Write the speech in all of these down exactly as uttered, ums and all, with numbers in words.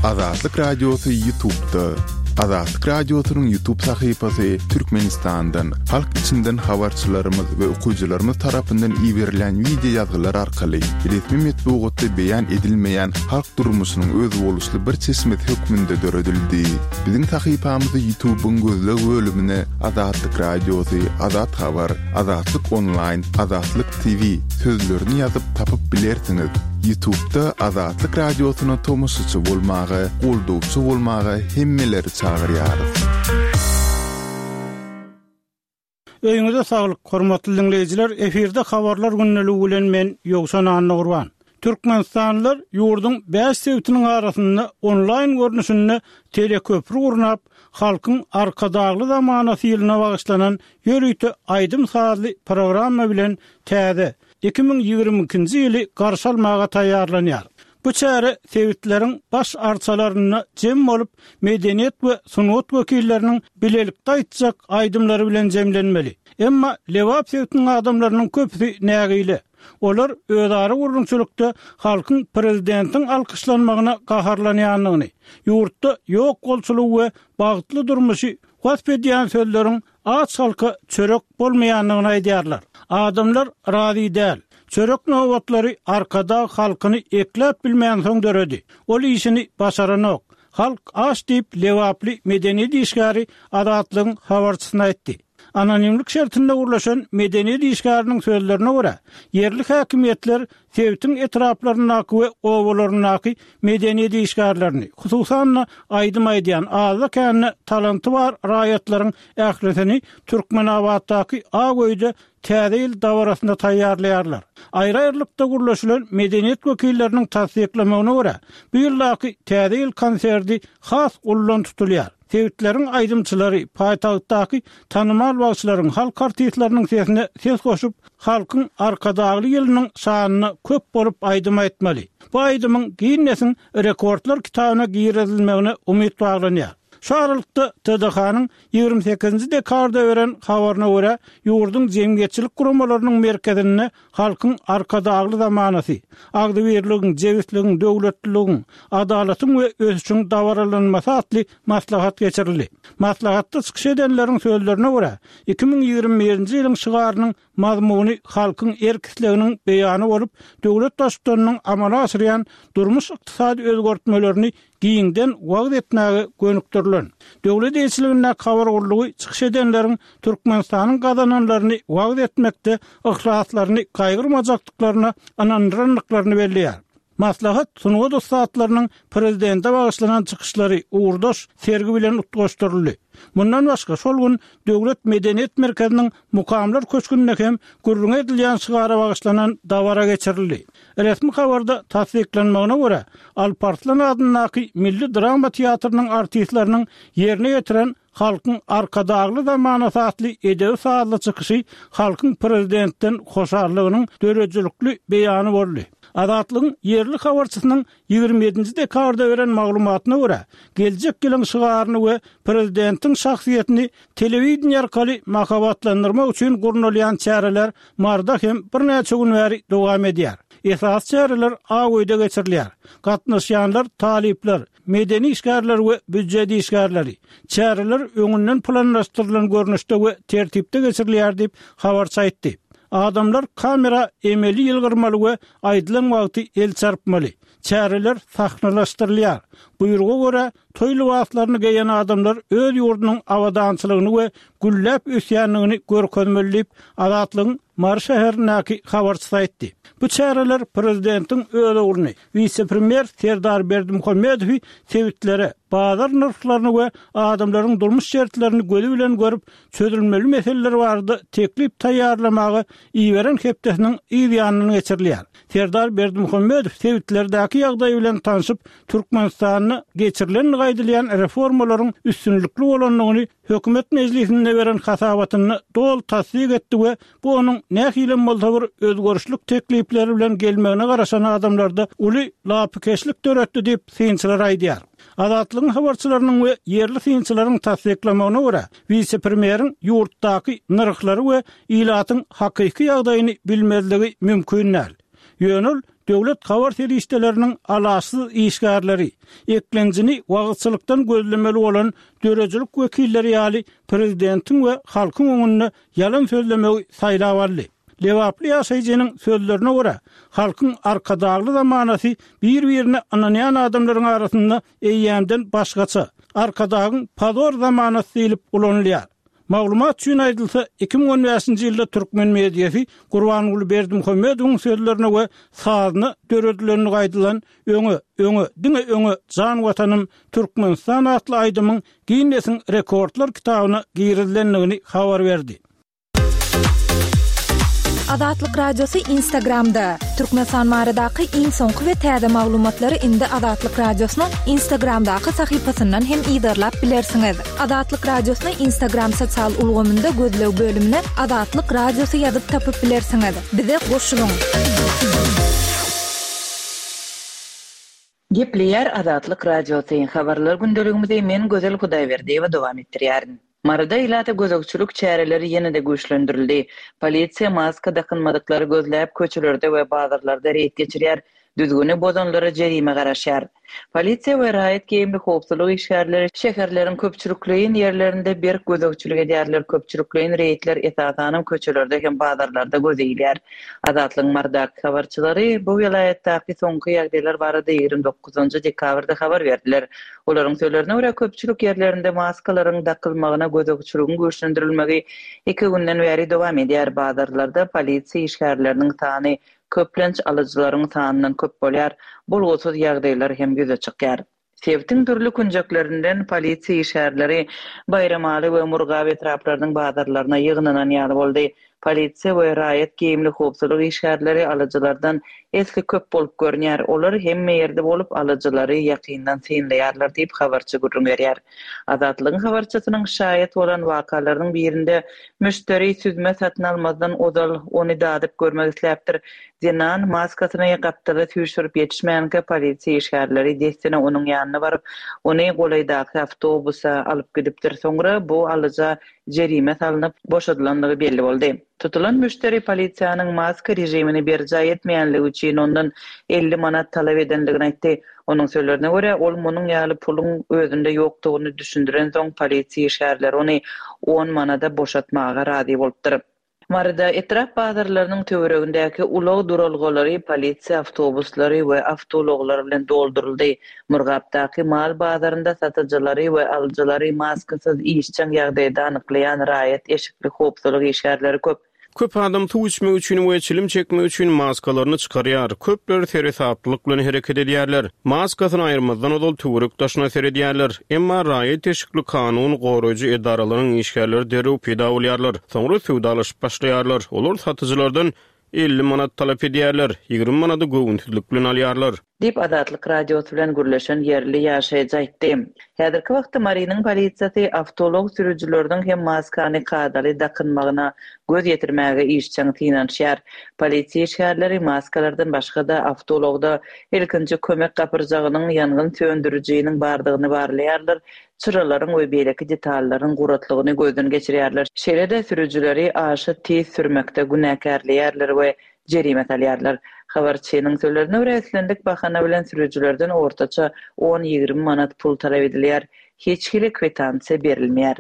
Azatlyk Radiosy YouTube'da. Azatlyk Radiosynyň YouTube sahypasy Türkmenistandan, halk içinden habarçylarymyz we okyjylarymyz tarapyndan iberilen wideo ýazgylar arkaly resmi metbugatda beýan edilmeýän halk durmuşynyň özboluşly bir çeşmesi hökmünde döredildi. Biziň sahypamyzy YouTube'yň gözleg bölümine Azatlyk Radiosy, Azat Habar, Azatlyk Online, Azatlyk T V sözlerini ýazyp tapyp bilersiňiz. YouTube'da Azatlyk Radiosyna tomaşaçy bolmaga, goldawçy bolmaga hemmeleri çagyrýarys. Öýüňize saglyk, hormatly dinleýjiler, efirde habarlar gündeligi bilen men Ýowşan Annagurban. Türkmenistanlylar ýurduň bäş sebitiniň arasynda onlaýn görnüşinde teleköprü gurnap, halkyň Arkadagly zamanasy ýylyna bagyşlanan ýörite aýdym-sazly programma bilen täze iki müň ýigrimi ikinji ýyly garşy almaga taýýarlanýar. Bu çäre sebitleriň baş arçalarynda jem bolup, medeniýet we sungat wekilleriniň bilelikde aýtjak aýdymlary bilen jemlenmeli. Emma Lebap sebitiniň adamlarynyň köpüsi nägile. Olar özara gurrumçylykda halkyň prezidentiň alkyşlanmagyna gaharlanýandygyny, ýurtda ýok bolçulygy we bagtly durmuşy wasp edýän sözleriň aç halka çörek bolmaýandygyny aýdýarlar. Adamlar razy däl. Çörek nobatlary Arkadag halkyny ekläp bilmeýän soň döredi. Ol işini başaranok. Halk aç diýip Lebaply medeniýet işgäri Azatlygyň habarçysyna aýtdy. Anonimlik şertinde gurlaşan medeniýet işgäriniň sözlerine görä, ýerli häkimiýetler sebitiň etraplaryndaky we obalaryndaky medeniýet işgärlerini, hususan-da aýdym aýdýan azda-kände talanty bar raýatlaryň ählisini Türkmenabatdaky Ak öýde täze ýyl dabarasyna taýýarlaýarlar. Aýry-aýrylykda gurlaşylan medeniýet wekilleriniň tassyklamagyna görä, bu ýyldaky täze ýyl konserti has ullan tutulýar. Sebitleriň aýdymçylary, paýtagtdaky tanymal bagşylaryň, halk artistleriniň sesine ses goşup, halkyň Arkadagly ýylynyň şanyna köp bolup aýdym aýtmaly. Bu aýdymyň Ginnesiň rekordlar kitabyna girizilmegine umyt baglanýar. Şu aralykda T D H-nyň ýigrimi sekizinji dekabrda beren habaryna görä, ýurduň jemgyýetçilik guramalarynyň merkezinde halkyň Arkadagly zamanasy, agzybirligiň, jebisligiň, döwletliligiň, adalatyň we ösüşiň dabaralanmasy atly maslahat geçirildi. Maslahatda çykyş edenleriň sözlerine görä, iki müň ýigrimi birinji ýylyň şygarynyň mazmuny halkyň erk isleginiň beýany bolup, döwlet baştutanynyň amala aşyrýan durmuş-ykdysady özgertmelerini giňden wagyz etmäge gönükdirilen. Döwlet eýeçiligindäki habar gullugy çykyş edenleriň Türkmenistanyň gazananlaryny wagyz etmekde yhlaslaryny gaýgyrmajakdyklaryna ynandyrandyklaryny belleýär. Maslahat sungat ussatlarynyň prezidente bagyşlanan çykyşlary ugurdaş sergi bilen utgaşdyryldy. Mundan başga şol gün Döwlet medeniýet merkeziniň Mukamlar köşgünde hem gürrüň edilýän şygara bagyşlanan dabara geçirildi. Resmi habarda tassyklanmagyna görä, Alparslan adyndaky Milli drama teatrynyň artistleriniň ýerine ýetiren Halkyň Arkadagly zamanasy atly edebi sazly çykyşy halkyň prezidentden hoşallygynyň döredijilikli beýany boldy. Azatlygyň ýerli habarçysynyň ýigrimi ýedinji dekabrda beren maglumatyna görä, geljek ýylyň şygaryny we prezidentiň şahsyýetini telewideniýe arkaly mahabatlandyrmak üçin gurnalýan çäreler Marda hem birnäçe gün bäri dowam edýär. Esasy çäreler Ak öýde geçirilýär. Gatnaşýanlar talyplar, medeni işgärler we býujet işgärleri. Çäreler öňünden planlaşdyrylan görnüşde we tertipde geçirilýär diýip, habarçy aýtdy. Adamlar kamera emeli ýylgyrmaly we aýdylan wagty el çarpmaly. Çäreler sahnalaşdyrylýar. Buýruga görä, toý lybaslaryny geýen adamlar öz ýurdunyň abadançylygyny we gülläp ösýändigini görkezmeli diýip, Azatlygyň Mary şäherindäki habarçysy aýtdy. Bu çäreler prezidentiň öz ogluny, wise-premýer Serdar Berdimuhamedowy sebitlere, bazar nyrhlaryny we adamlaryň durmuş şertlerini gözi bilen görüp, çözülmeli meseleler barada teklip taýýarlamaga iberen hepdesiniň yz ýanyndan geçirilýär. Serdar Berdimuhamedow sebitlerdäki ýagdaý bilen tanşyp, Türkmenistanda geçirilendigi aýdylýan reformalaryň üstünlikli bolandygyny hökümet mejlisinde beren hasabatynda doly tassyk etdi we bu onuň nähilem bolsa bir özgerişlik teklipleri bilen gelmegine garaşan adamlarda uly lapykeçlik döretdi diýip synçylar aýdýar. Azatlygyň habarçylarynyň we ýerli synçylaryň tassyklamagyna görä, wise-premýeriň ýurtdaky nyrhlary we ilatyň hakyky ýagdaýyny bilmezligi mümkin däl. Ýöne ol Döwlet habar serişdeleriniň alaçsyz işgärleri, eklenjini wagyzçylykdan gözlemeli bolan döredijilik wekilleri ýaly prezidentiň we halkyň öňünde ýalan sözlemegi saýlap aldy. Lebaply ýaşaýjynyň sözlerine görä, halkyň Arkadagly zamanasy bir-birine ynanýan adamlaryň arasynda eýýämden başgaça, Arkadagyň pozor zamanasy diýlip ulanylýar. Maglumat üçin aýdylsa, iki müň on bäşinji ýylda türkmen mediasy Gurbanguly Berdimuhamedowyň sözlerine we sazyna döredilenligi aýdylan Öňe, öňe, diňe öňe, jan Watanym Türkmenistan atly aýdymyň Ginnesiň rekordlar kitabyna girizilendigini habar berdi. Azatlyk Radiosy Instagramda. Türkmenistan baradaky iň soňky we täze maglumatlary indi Azatlyk Radiosynyň Instagramdaky sahypasyndan hem yzarlap bilersiňiz. Azatlyk Radiosyny Instagram sosial ulgamynda gözleg bölümine Azatlyk Radiosy ýazyp tapyp bilersiňiz. Bize goşulyň. Gepleýär Azatlyk Radiosy, Habarlar gündeligimizi men Gözel Hudaýberdiýewa dowam etdirýärin. Maryda ilata gözegçilik çäreleri ýene-de güýçlendirildi. Polisiýa maska dakynmadyklary gözläp, köçelerde we bazarlarda reýd geçirýär, düzgüni bozanlara jerime garaşýar. Polisiýa we raýat geýimli howpsuzlyk işgärleri şäherleriň köpçülikleýin ýerlerinde berk gözegçilik edýärler, köpçülikleýin reýdler esasanam köçelerde hem bazarlarda göze ilýär. Azatlygyň Marydaky habarçylary bu welaýatdaky soňky ýagdaýlar barada ýigrimi dokuzynjy dekabrda habar berdiler. Olaryň sözlerine görä, köpçülik ýerlerinde maskalaryň dakylmagyna gözegçiligiň güýçlendirilmegi iki günden bäri dowam edýär. Bazarlarda polisiýa işgärleriniň sany köplenç alyjylaryň sanyndan köp bolýar, bolgusyz ýagdaýlar hem ýüze çykýar. Sebitiň dürli künjeklerinden polisiýa işgärleri Baýramaly we Murgap etraplarynyň bazarlaryna ýygnanan ýaly boldy. Polisiýa we raýat geýimli howpsuzlyk işgärleri alyjylardan esli köp bolup görünýär. Olar hemme ýerde bolup, alyjylary ýakyndan synlaýarlar diýip, habarçy gürrüň berýär. Azatlygyň habarçysynyň şaýat bolan wakalarynyň birinde müşderi süzme satyn almazdan ozal ony dadyp görmek isläpdir. Zenan maskasyny gapdala süýşürip ýetişmänkä polisiýa işgärleri dessine onuň ýanyna baryp, ony golaýdaky awtobusa alyp gidipdir. Soňra bu alyja jerime salnyp, boşadylandygy belli boldy. Tutulan müşderi polisiýanyň maska režimini berjaý etmeýänligi üçin ondan elli manat talap edendigini aýtdy. Onuň sözlerine görä, ol munuň ýaly puluň özünde ýokdugyny düşündirensoň, polisiýa işgärleri ony on manada boşatmaga razy bolupdyr. Maryda etrap bazarlarynyň töweregindäki ulag duralgalary polisiýa awtobuslary we awtoulaglar bilen dolduryldy. Murgapdaky mal bazarynda satyjylary we alyjylary maskasyz işjeň ýagdaýda anyklaýan raýat eşikli howpsuzlyk işgärleri köp. Köp adam suw içmek üçin we çilim çekmek üçin maskalaryny çykarýar. Köpler seresaplylyk bilen hereket edýärler. Maskasyny aýyrmazdan ozal töwerek daşyna seredýärler. Emma raýat eşikli kanun goraýjy edaralaryň işgärleri derrew peýda bolýarlar. Soňra söwdalaşyp başlaýarlar. Olar satyjylardan elli manat talap edýärler, ýigrimi manady göwünsizlik bilen alýarlar. Diýip, Azatlyk Radiosy bilen gürleşen ýerli ýaşaýjy aýtdy. Häzirki wagtda Marynyň polisiýasy awtoulag sürüjileriniň hem maskany kadaly dakynmagyna göz ýetirmäge işjeň synanyşýar. Polisiýa işgärleri maskalardan başga-da awtoulagda ilkinji kömek gapyrjagynyň, ýangyn söndürijiniň bardygyny barlaýarlar, çyralaryň we beýleki detallaryň guratlygyny gözden geçirýärler. Şeýle-de sürüjileri aşa tiz sürmekde günäkärleýärler we jerime salýarlar. Habarçynyň sözlerine görä, islendik bahana bilen sürüjilerden ortaça on-ýigrimi manat pul talap edilýär. Hiç hili kwitansiýa berilmeýär.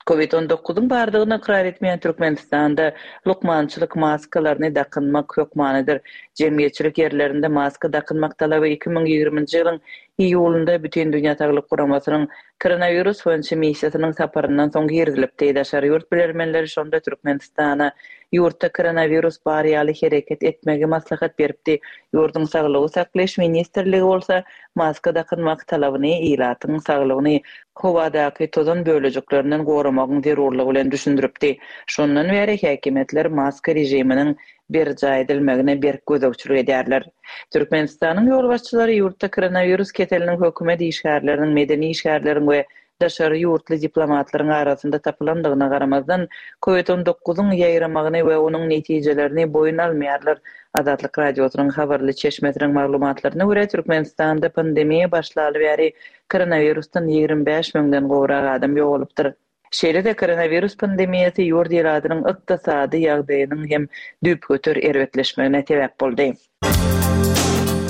Covid on dokuzyň bardygyny ykrar etmeýän Türkmenistanda lukmançylyk maskalaryny dakynmak hökmanydyr. Jemgyýetçilik ýerlerinde maska dakynmak talaby iki müň ýigriminji ýylyň iýulynda Bütindünýä Saglyk Guramasynyň koronawirus boýunça missiýasynyň saparyndan soň girizilipdi. Daşary ýurt bilermenleri şonda Türkmenistana ýurtda koronawirus bar ýaly hereket etmegi maslahat beripdi. Ýurduň Saglygy saklaýyş ministrligi bolsa maska dakynmak talabyny ilatyň saglygyny howadaky tozan bölejiklerinden goramagyň zerurlygy bilen düşündiripdi. Şondan bäri häkimiýetler maska režiminiň berjaý edilmegine berk gözegçilik edýärler. Türkmenistanyň ýolbaşçylary ýurtda koronawirus keseliniň hökümet işgärleriniň, medeni işgärleriň we daşary ýurtly diplomatlaryň arasynda tapylandygyna garamazdan, Covid on dokuzyň ýaýramagyny we onuň netijelerini boýun almaýarlar. Azatlyk Radiosynyň habarly çeşmesiniň maglumatlaryna görä, Türkmenistanda pandemiýa başlaly bäri koronawirusdan ýigrimi bäş müňden gowrak adam ýogalypdyr. Şeýle-de koronawirus pandemiýasy ýurt ilatynyň ykdysady ýagdaýynyň hem düýpgöter erbetleşmegine sebäp boldy.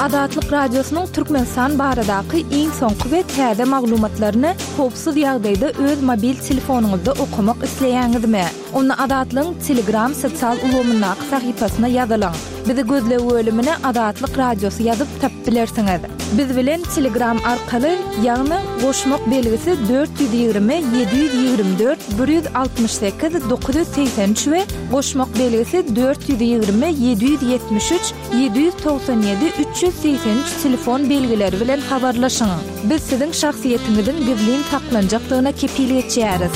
Azatlyk Radiosynyň Türkmenistan baradaky iň soňky we täze maglumatlaryny howpsuz ýagdaýda öz mobil telefonyňyzda okamak isleýäňizmi? Onda Azatlygyň Telegram sosial ulgamyndaky sahypasyna ýazylyň. Bizi gözleg bölümine Azatlyk Radiosy ýazyp tapyp bilersiňiz. Biz bilen Telegram arkaly, ýagny goşmak belgisi dört ýüz ýigrimi ýedi ýüz ýigrimi dört bir ýüz altmyş sekiz dokuz ýüz segsen üç we goşmak belgisi dört ýüz ýigrimi ýedi ýüz ýetmiş üç ýedi ýüz togsan ýedi üç ýüz segsen üç telefon belgileri bilen habarlaşyň. Biz siziň şahsyýetiňiziň gizlin saklanjakdygyna kepil geçýäris.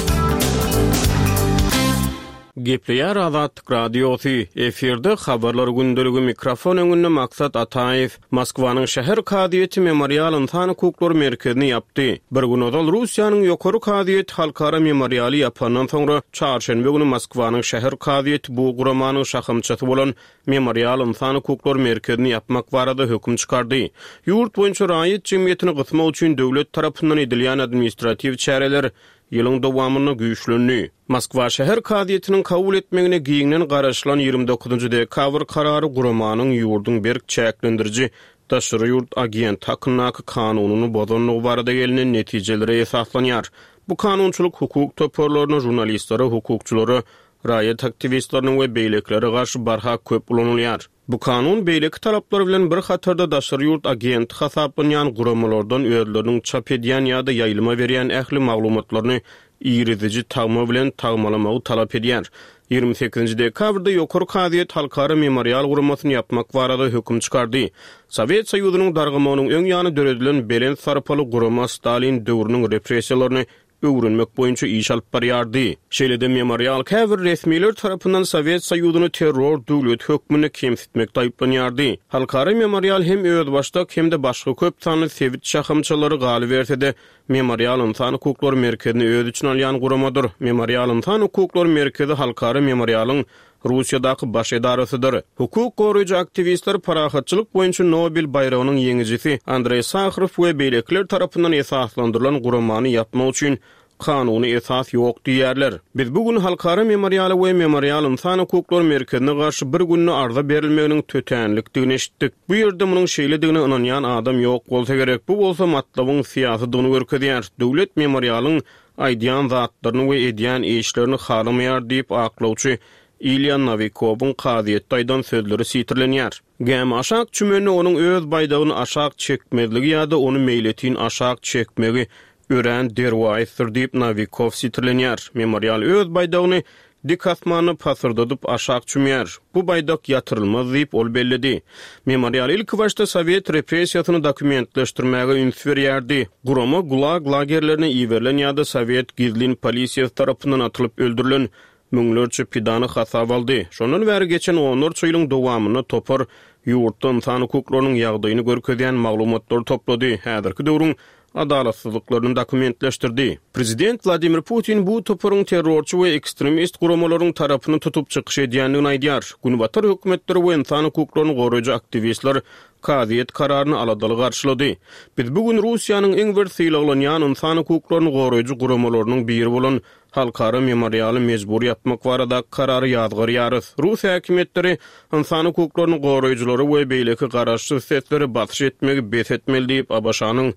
Gepleýär Azatlyk Radiosy, efirde habarlar gündeligi, mikrofon öňünde Maksat Ataýew. Moskwanyň şäher kazyýeti Memorial ynsan hukuklary merkezini ýapdy. Bir gün ozal Russiýanyň ýokary kazyýeti halkara memorialy ýapandan soňra çarşenbe güni Moskwanyň şäher kazyýeti bu guramanyň şahamçasy bolan Memorial ynsan hukuklary merkezini ýapmak barada höküm çykardy. Ýurt boýunça raýat jemgyýetini gysmak üçin döwlet tarapyndan edilýän administratiw çäreler ýylyň dowamynda güýçlendi. Moskwa şäher kazyýetiniň kabul etmegine giňden garaşylan ýigrimi dokuzynjy dekabr karary guramanyň ýurduň berk çäklendiriji daşary ýurt agent hakyndaky kanunyny bozandygy barada gelinen netijelere esaslanýar. Bu kanunçylyk hukuk toparlaryna, žurnalistlere, hukukçylara, raýat aktiwistlerine we beýlekilere garşy barha köp ulanylýar. Bu kanun beýleki talaplar bilen bir hatarda daşary ýurt agenti hasaplanýan guramalardan özleriniň çap edýän ýa-da ýaýlyma berýän ähli maglumatlaryny iriziji tagma bilen tagmalamagy talap edýär. Ýigrimi sekizinji dekabrda ýokary kazyýet halkara memorial guramasyny ýapmak barada höküm çykardy. Sowet Soýuzynyň dargamagynyň öň ýany döredilen belent sarpaly gurama Stalin döwrüniň repressiýalaryny öwrenmek boýunça iş alyp barýardy. Şeýle-de memorial käbir resmiler tarapyndan Sowet Soýuzyny terror döwleti hökmünde kemsitmekde aýyplanýardy. Halkara memorial hem özbaşdak hem-de başga köp sanly sebit şahamçalary galyberse-de, Memorial ynsan hukuklary merkezini öz içine alýan guramadyr. Memorial ynsan hukuklary merkezi halkara memorialyň Russiýadaky baş edarasydyr. Hukuk goraýjy aktiwistler parahatçylyk boýunça Nobel baýragynyň ýeňijisi Andreý Saharow we beýlekiler tarapyndan esaslandyrylan guramany ýapmak üçin kanuny esas ýok diýýärler. Biz bu gün halkara memorialy we memorial ynsan hukuklary merkezine garşy bir günde arza berilmeginiň tötänlikdigini eşitdik. Bu ýerde munuň şeýledigine ynanýan adam ýok bolsa gerek. Bu bolsa matlabyň syýasydygyny görkezýär. Döwlet memorialyň aýdýan zatlaryny we edýän işlerini halamaýar diýip aklawçy Ilýa Nowikowyň kazyýetde aýdan sözleri sitirlenýär. Gämi aşak çümende onuň öz baýdagyny aşak çekmezligi ýa-da ony meýletin aşak çekmegi örän derwaýysdyr diýip Nowikow sitirlenýär. Memorial öz baýdagyny dik asmanda pasyrdadyp aşak çümýär. Bu baýdak ýatyrylmaz diýip ol belledi. Memorial ilki başda Sowet repressiýasyny dokumentleşdirmäge üns berýärdi. Gurama Gulag lagerlerine iberilen ýa-da Sowet gizlin polisiýasy tarapyndan atylyp öldürilen müňlerçe pidany hasap aldy. Şondan bäri geçen onlarça ýylyň dowamynda topar ýurtda ynsan hukuklarynyň ýagdaýyny görkezýän maglumatlary toplady. Häzirki döwrüň adalatsyzlyklaryny dokumentleşdirdi. Prezident Wladimir Putin bu toparyň terrorçy we ekstremist guramalaryň tarapyny tutup çykyş edýändigini aýdýar. Günbatar hökümetleri we ynsan hukuklaryny goraýjy aktiwistler kazyýet kararyny aladaly garşylady. Biz bu gün Russiýanyň iň bir sylaglanýan ynsan hukuklaryny goraýjy guramalarynyň biri bolan halkara memorialy mejbur ýapmak barada karary ýazgarýarys. Rus häkimiýetleri ynsan hukuklaryny goraýjylary we beýleki garaşsyz sesleri basyş etmegi bes etmeli diýip A B Ş-nyň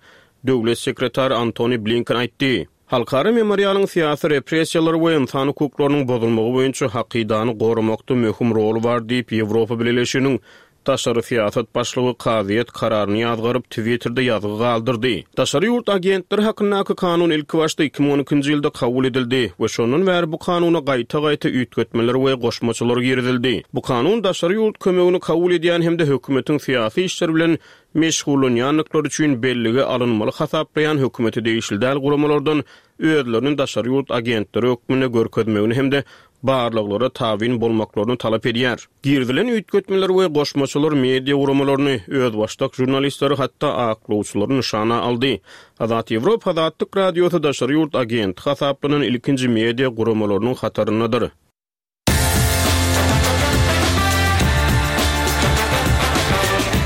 döwlet sekretary Antony Blinken aýtdy. Halkara memorialyň syýasy repressiýalary we ynsan hukuklarynyň bozulmagy boýunça hakydany goramakda möhüm rol bar diýip Ýewropa Bileleşiginiň daşary syýasat başlygy kazyýet kararyny ýazgaryp Twitter'de ýazgy galdyrdy. Daşary ýurt agentleri hakyndaky kanun ilki başda iki müň on ikinji ýylda kabul edildi we şondan bäri bu kanuna gaýta-gaýta üýtgetmeler we goşmaçalar girizildi. Bu kanun daşary ýurt kömegini kabul edýän hem-de hökümetiň syýasy işleri bilen meşgullanýandyklary üçin bellige alynmaly hasaplaýan hökümete degişli däl guramalardan özlerini daşary ýurt agentleri hökmünde görkezmegini hem-de barlaglara tabyn bolmaklaryny talap edýär. Girizilen üýtgetmeler we goşmaçalar media guramalaryny, özbaşdak žurnalistleri hatda aklawçylary nyşana aldy. Azat Ýewropa Azatlyk Radiosy daşary ýurt agenti hasaplanan ilkinji media guramalarynyň hataryndadyr.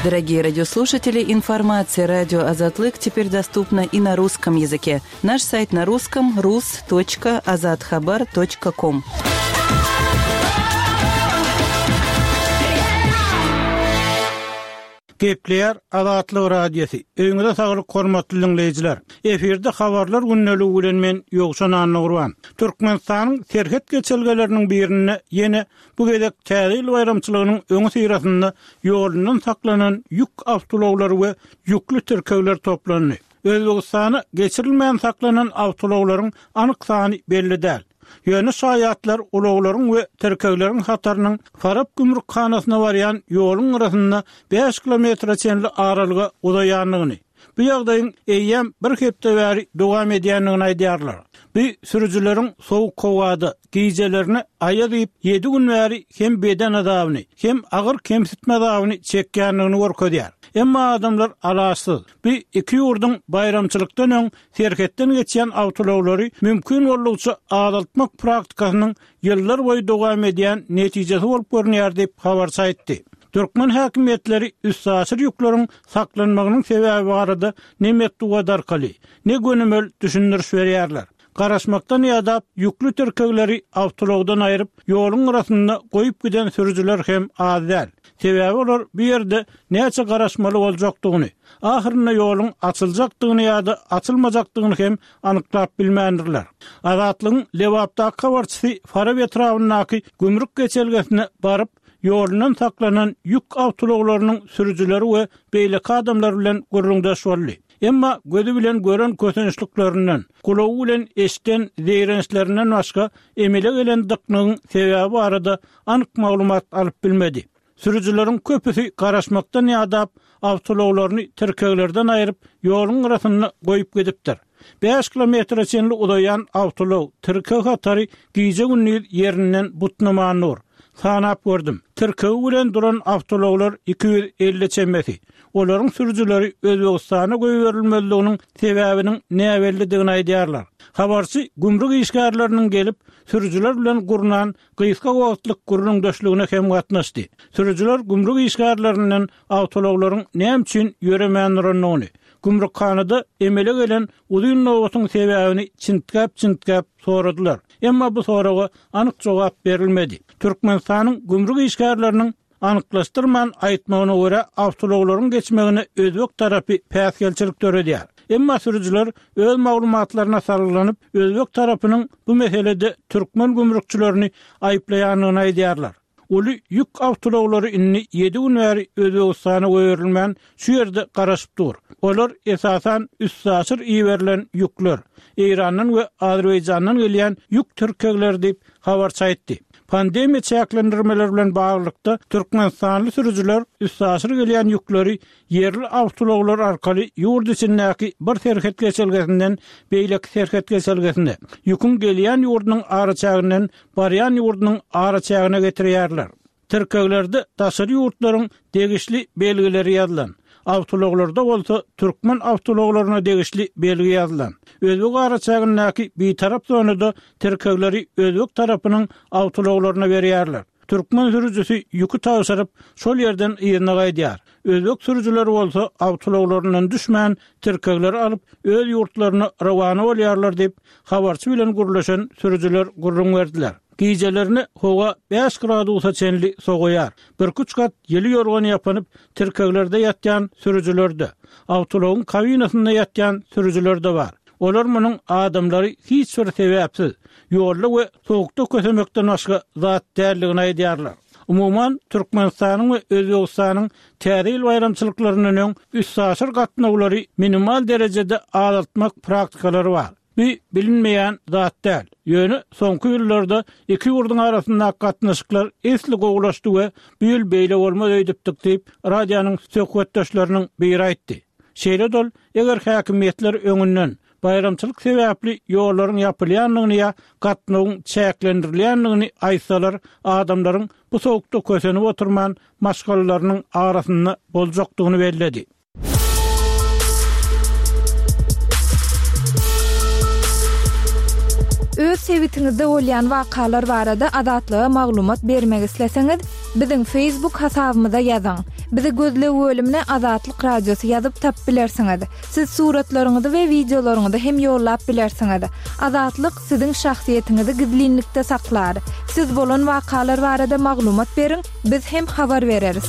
Дорогие радиослушатели, информация радио Азатлык теперь доступна и на русском языке. Наш сайт на русском рус точка азатхабар точка ком. Gepleýär Azatlyk Radiosy. Öýüňize saglyk hormatly dinleýjiler. Efirde habarlar gündeligi bilen men Ýowşan Annagurban. Türkmenistanyň serhet geçelgeleriniň birinde ýene bu gezek Täze ýyl baýramçylygynyň öňi syrasynda ýolundan saklanan ýük awtoulaglary we ýükli tirkegler toplandy. Özbegistana geçirilmän saklanan awtoulaglaryň anyk sany belli däl. Ýöne şaýatlar ulaglaryň we tirkegleriň hatarynyň Farap gümrükhanasyna barýan ýoluň gyrasynda bäş kilometre çenli aralyga uzaýandygyny, bu ýagdaýyň eýýäm bir hepde bäri dowam edýändigini aýdýarlar. Bu sürüjileriň sowuk howada gijelerini aýaz iýip, ýedi gün bäri hem beden azabyny, hem agyr kemsitme azabyny çekýändigini görkezýär. Emma adamlar alaçsyz. Bu iki ýurduň baýramçylykdan öň serhetden geçýän awtoulaglary mümkin boldugyça azaltmak praktikasynyň ýyllar boýy dowam edýän netijesi bolup görünýär diýip habarçy aýtdy. Türkmen häkimiýetleri üstaşyr ýükleriň saklanmagynyň sebäbi barada ne metbugat arkaly, ne gönümel düşündiriş berýärler. Garaşmakdan ýadap, ýükli tirkegleri awtoulagdan aýryp, ýoluň gyrasynda goýup giden sürüjiler hem az däl. Sebäbi olar bu ýerde näçe garaşmaly boljakdygyny, ahyrynda ýoluň açyljakdygyny ýa-da açylmajakdygyny hem anyklap bilmändirler. Azatlygyň Lebapdaky habarçysy Farap etrabyndaky gümrük geçelgesine baryp, ýolundan saklanan ýük awtoulaglarynyň sürüjileri we beýleki adamlar bilen gürrüňdeş boldy. Emma gözi bilen gören kösençliklerinden, gulagy bilen eşiden zeýrençlerinden başga emele gelen dyknygyň sebäbi barada anyk maglumat alyp bilmedi. Sürüjileriň köpüsi garaşmakdan ýadap, awtoulaglaryny tirkeglerden aýryp, ýoluň gyrasynda goýup gidipdir. Bäş kilometre çenli uzaýan awtoulag tirkeg hatary gije-gündiz ýerinden butnaman dur. Sanap gördüm. Tirkegi bilen duran awtoulaglar iki ýüz elli çemesi. Olaryň sürüjileri Özbegistana goýberilmezliginiň sebäbiniň näbellidigini aýdýarlar. Habarçy gümrük işgärleriniň gelip, sürüjiler bilen gurnan gysga wagtlyk gürrüňdeşligine hem gatnaşdy. Sürüjiler gümrük işgärlerinden awtoulaglaryň näme üçin ýöremän durandygyny, gümrükhanada emele gelen uzyn nobatyň sebäbini çintgäp-çintgäp soradylar. Emma bu soraga anyk jogap berilmedi. Türkmenistanyň gümrük işgärleriniň anyklaşdyrman aýtmagyna görä, awtoulaglaryň geçmegine özbek tarapy päsgelçilik döredýär. Emma sürüjiler öz maglumatlaryna salgylanyp, özbek tarapynyň bu meselede türkmen gümrükçilerini aýyplaýandygyny aýdýarlar. Uly ýük awtoulaglary indi ýedi gün bäri Özbegistana goýberilmän, şu ýerde garaşyp dur. Olar esasan üstaşyr iberilen ýükler, Eýrandan we Azerbaýjandan gelýän ýük tirkegleri diýip, habarçy aýtdy. Pandemiýa çäklendirmeleri bilen baglylykda, türkmenistanly sürüjiler üstaşyr gelýän ýükleri ýerli awtoulaglar arkaly ýurt içindäki bir serhet geçelgesinden beýleki serhet geçelgesine, ýüküň gelýän ýurdunyň araçäginden barýan ýurdunyň araçägine getirýärler. Tirkeglerde daşary ýurtlaryň degişli belgileri ýazylan, awtoulaglarda bolsa türkmen awtoulaglaryna degişli belgi ýazylan. Özbek araçägindäki bitarap zonada tirkegleri özbek tarapynyň awtoulaglaryna berýärler. Türkmen sürüjisi ýüki tabşyryp, şol ýerden yzyna gaýdýar. Özbek sürüjileri bolsa awtoulaglaryndan düşmän, tirkegleri alyp, öz ýurtlaryna rowana bolýarlar diýip, habarçy bilen gürleşen sürüjiler gürrüň berdiler. Gijelerine howa bäş gradusa çenli sowaýar. Birküç gat ýyly ýorgan ýapynyp, tirkeglerde ýatýan sürüjiler-de, awtoulagyň kabinasynda ýatýan sürüjiler-de bar. Olar munuň adamlary hiç bir sebäpsiz, ýolda we sowukda kösemekden başga zat däldigini aýdýarlar. Umuman, Türkmenistanyň we Özbegistanyň Täze ýyl baýramçylyklaryndan öň üstaşyr gatnawlary minimal derejede azaltmak praktikalary bar. Bu bilinmeýän zat däl. Ýöne soňky ýyllarda iki ýurduň arasyndaky gatnaşyklar esli gowulaşdy we bu ýyl beýle bolmaz öýdüpdik diýip, radionyň söhbetdeşleriniň biri aýtdy. Şeýle-de ol, eger häkimiýetler öňünden baýramçylyk sebäpli ýollaryň ýapylýandygyny ýa gatnawyň çäklendirilýändigini aýtsalar, adamlaryň bu sowukda kösenip oturman, maşgalalarynyň arasynda boljakdygyny belledi. Öz sebitiňizde bolýan wakalar barada Azatlyga maglumat bermek isleseňiz, biziň Facebook hasabymyza ýazyň. Bizi gözleg bölümine Azatlyk Radiosy ýazyp tapyp bilersiňiz. Siz suratlaryňyzy we wideolaryňyzy hem ýollap bilersiňiz. Azatlyk siziň şahsyýetiňizi gizlinlikde saklar. Siz bolan wakalar barada maglumat beriň, biz hem habar bereris.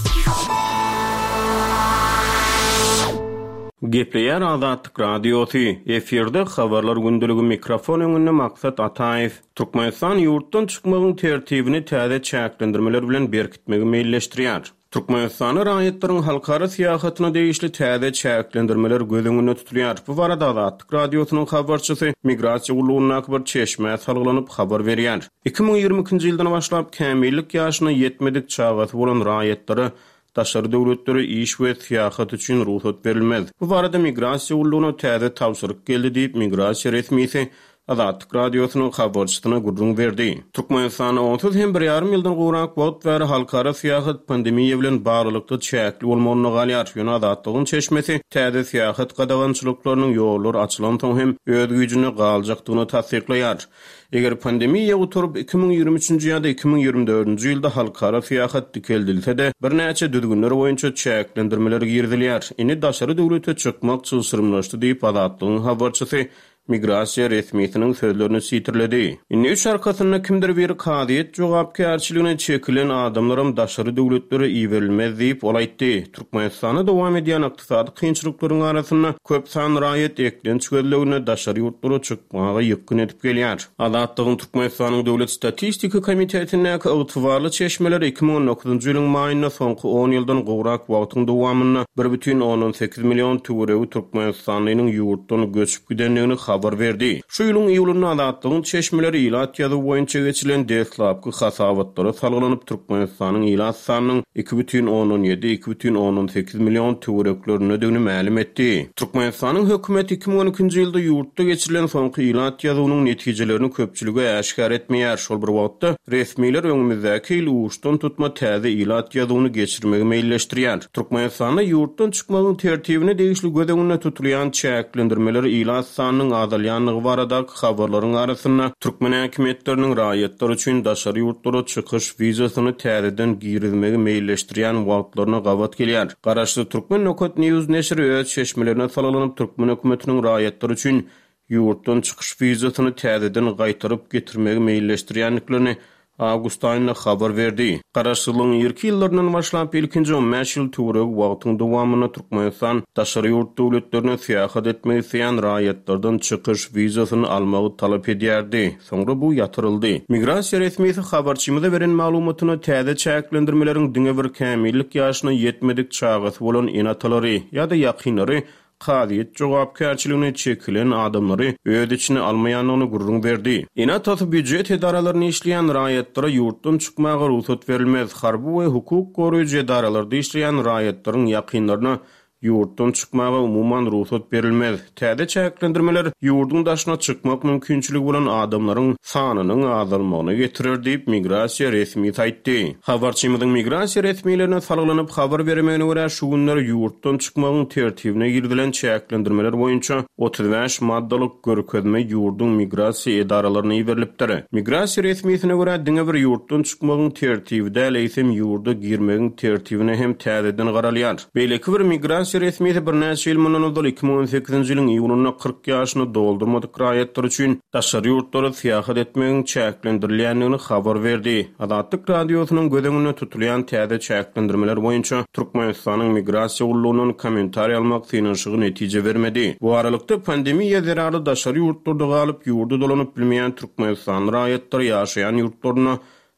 Gepleýär Azatlyk Radiosy, efirde Habarlar gündeligi mikrofon öňünde Maksat Ataýew. Türkmenistan ýurtdan çykmagyň tertibini täze çäklendirmeler bilen berkitmegi meýilleşdirýär. Türkmenistanda raýatlaryň halkara syýahatyna degişli täze çäklendirmeler göz öňünde tutulýar. Bu barada Azatlyk Radiosynyň habarçysy Migrasiýa gullugyndaky bir çeşmä salgylanyp habar berýär. Iki müň ýigrimi ikinji ýyldan başlap kämillik ýaşyna ýetmedik çagasy bolan raýatlara daşary döwletlere iş we syýahat üçin rugsat berilmez. Bu barada Migrasiýa gullugyna täze tabşyryk geldi diýip, migrasiýa resmisi Azatlyk Radiosynyň habarçysyna gürrüň berdi. Türkmenistanda onsuz hem bir ýarym ýyldan gowrak wagt bäri halkara syýahat pandemiýa bilen baglylykda çäkli bolmagynda galýar. Ýöne Azatlygyň çeşmesi täze syýahat gadagançylyklarynyň ýollar açylansoň hem öz güýjünde galjakdygyny tassyklaýar. Eger pandemiýa gutaryp iki müň ýigrimi üçünji ýa-da iki müň ýigrimi dördünji ýylda halkara syýahat dikeldilse-de, birnäçe düzgünler boýunça çäklendirmeler girizilýär. Indi daşary döwlete çykmak çylşyrymlaşdy diýip, Azatlygyň habarçysy migrasiýa resmisiniň sözlerini sitirledi. Indi üç arkasynda kimdir biri kazyýet jogapkärçiligine çekilen adamlaram daşary döwletlere iberilmez diýip, ol aýtdy. Türkmenistanda dowam edýän ykdysady kynçylyklaryň arasynda köp sanly raýat eklenç gözleginde daşary ýurtlara çykmaga ýykgyn edip gelýär. Azatlygyň Türkmenistanyň Döwlet statistika komitetindäki ygtybarly çeşmeler iki müň on dokuzynjy ýylyň maýynda soňky on ýyldan gowrak wagtyň dowamynda bir bütin ondan sekiz million töweregi türkmenistanlynyň ýurtdan göçüp gidendigini habar berdi. Şu ýylyň iýulynda Azatlygyň çeşmeleri ilat ýazuwy boýunça geçirilen deslapky hasabatlara salgylanyp, Türkmenistanyň ilat sanynyň iki bütin ondan ýedi, iki bütin ondan sekiz million töwereklerindedigini mälim etdi. Türkmenistanyň hökümeti iki müň on ikinji ýylda ýurtda geçirilen soňky ilat ýazuwynyň netijelerini köpçülige äşgär etmeýär. Şol bir wagtda resmiler öňümizdäki ýyl uçdan tutma täze ilat ýazuwyny geçirmegi meýilleşdirýär. Türkmenistanda ýurtdan çykmagyň tertibine degişli göz öňünde tutulýan çäklendirmeler ilat sanynyň azalýanlygy baradaky habarlaryň arasynda türkmen häkimiýetleriniň raýatlar üçin daşary ýurtlara çykyş wizasyny täzeden girizmegi meýilleşdirýän wagtlaryna gabat gelýär. Garaşsyz Türkmen Nokat News neşiri öz çeşmelerine salgylanyp türkmen hökümetiniň raýatlar üçin ýurtdan çykyş wizasyny täzeden gaýtaryp getirmegi meýilleşdirýändiklerini awgust aýynda habar berdi. Garaşsyzlygyň irki ýyllaryndan başlap ilkinji on bäş ýyl töweregi wagtyň dowamynda Türkmenistan daşary ýurt döwletlerine syýahat etmek isleýän raýatlardan çykyş wizasyny almagy talap edýärdi. Soňra bu ýatyryldy. Migrasiýa resmisi habarçymyza beren maglumatyna täze çäklendirmeleriň diňe bir kämillik ýaşyna ýetmedik çagasy bolan ene-atalary ýa-da ýakynlary kazyýet jogapkärçiligine çekilen adamlary öz içine almaýandygyny gürrüň berdi. Ene-atasy býujet edaralaryny işleýän raýatlara ýurtdan çykmaga rugsat berilmez. Harby we hukuk goraýjy edaralarda işleýän raýatlaryň ýakynlaryna ýurtdan çykmaga umuman rugsat berilmez. Täze çäklendirmeler ýurduň daşyna çykmak mümkinçiligi bolan adamlaryň sanynyň azalmagyna getirer diýip migrasiýa resmisi aýtdy. Habarçymyzyň migrasiýa resmilerine salgylanyp habar bermegine görä şu günler ýurtdan çykmagyň tertibine girizilen çäklendirmeler boýunça otuz bäş maddalyk görkezme ýurduň migrasiýa edaralaryna iberilipdir. Migrasiýa resmisine görä diňe bir ýurtdan çykmagyň tertibi däl, eýsem ýurda girmegiň tertibine hem täzeden garalýar. Beýleki bir migrasiýa resmisi birnäçe ýyl mundan ozal iki müň on sekizinji ýylyň iýunynda kyrk ýaşyny doldurmadyk raýatlar üçin daşary ýurtlara syýahat etmegiň çäklendirilýändigini habar berdi. Azatlyk Radiosynyň göz öňünde tutulýan täze çäklendirmeler boýunça Türkmenistanyň migrasiýa gullugyndan kommentariý almak synanyşygy netije bermedi. Bu aralykda pandemiýa zerarly daşary ýurtlarda galyp ýurda dolanyp bilmeýän Türkmenistanly raýatlar ýaşaýan ýurtlaryna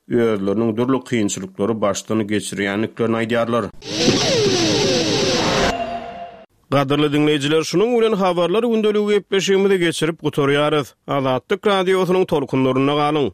özleriniň dürli kynçylyklary başdan geçirýändiklerini aýdýarlar. Gadyrly dinleýjiler, şunuň bilen habarlar gündeligi gepleşigimizi geçirip gutarýarys. Azatlyk Radiosynyň tolkunlarynda galyň.